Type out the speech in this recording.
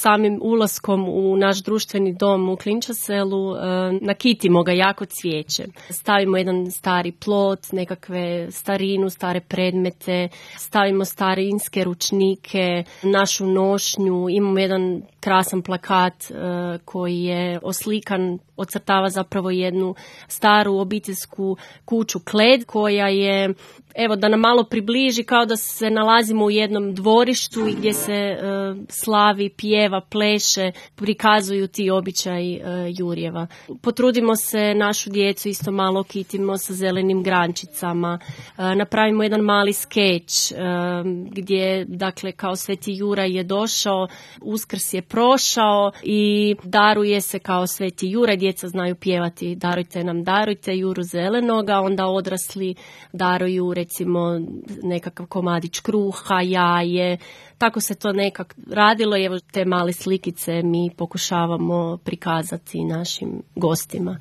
samim ulaskom u naš društveni dom u Klinčaselu nakitimo ga jako cvijećem. Stavimo jedan stari plot, nekakve starinu, stare predmete, stavimo starinske ručnike, našu nošnju, imamo jedan krasan plakat koji je oslikan, ocrtava zapravo jednu staru obiteljsku kuću Kled koja je, evo da nam malo približi, kao da se nalazimo u jednom dvorištu i gdje se slavi, pjeva, pleše, prikazuju ti običaji Jurjeva. Potrudimo se našu djecu isto malo kitimo sa zelenim grančicama, napravimo jedan mali skeč gdje, dakle, kao Sveti Juraj je došao, Uskrs je prošao i daruje se kao Sveti Juraj, djeca znaju pjevati darujte Juru zelenoga, onda odrasli daruju recimo nekakav komadić kruha, jaje, tako se to nekak radilo i evo te male slikice mi pokušavamo prikazati našim gostima.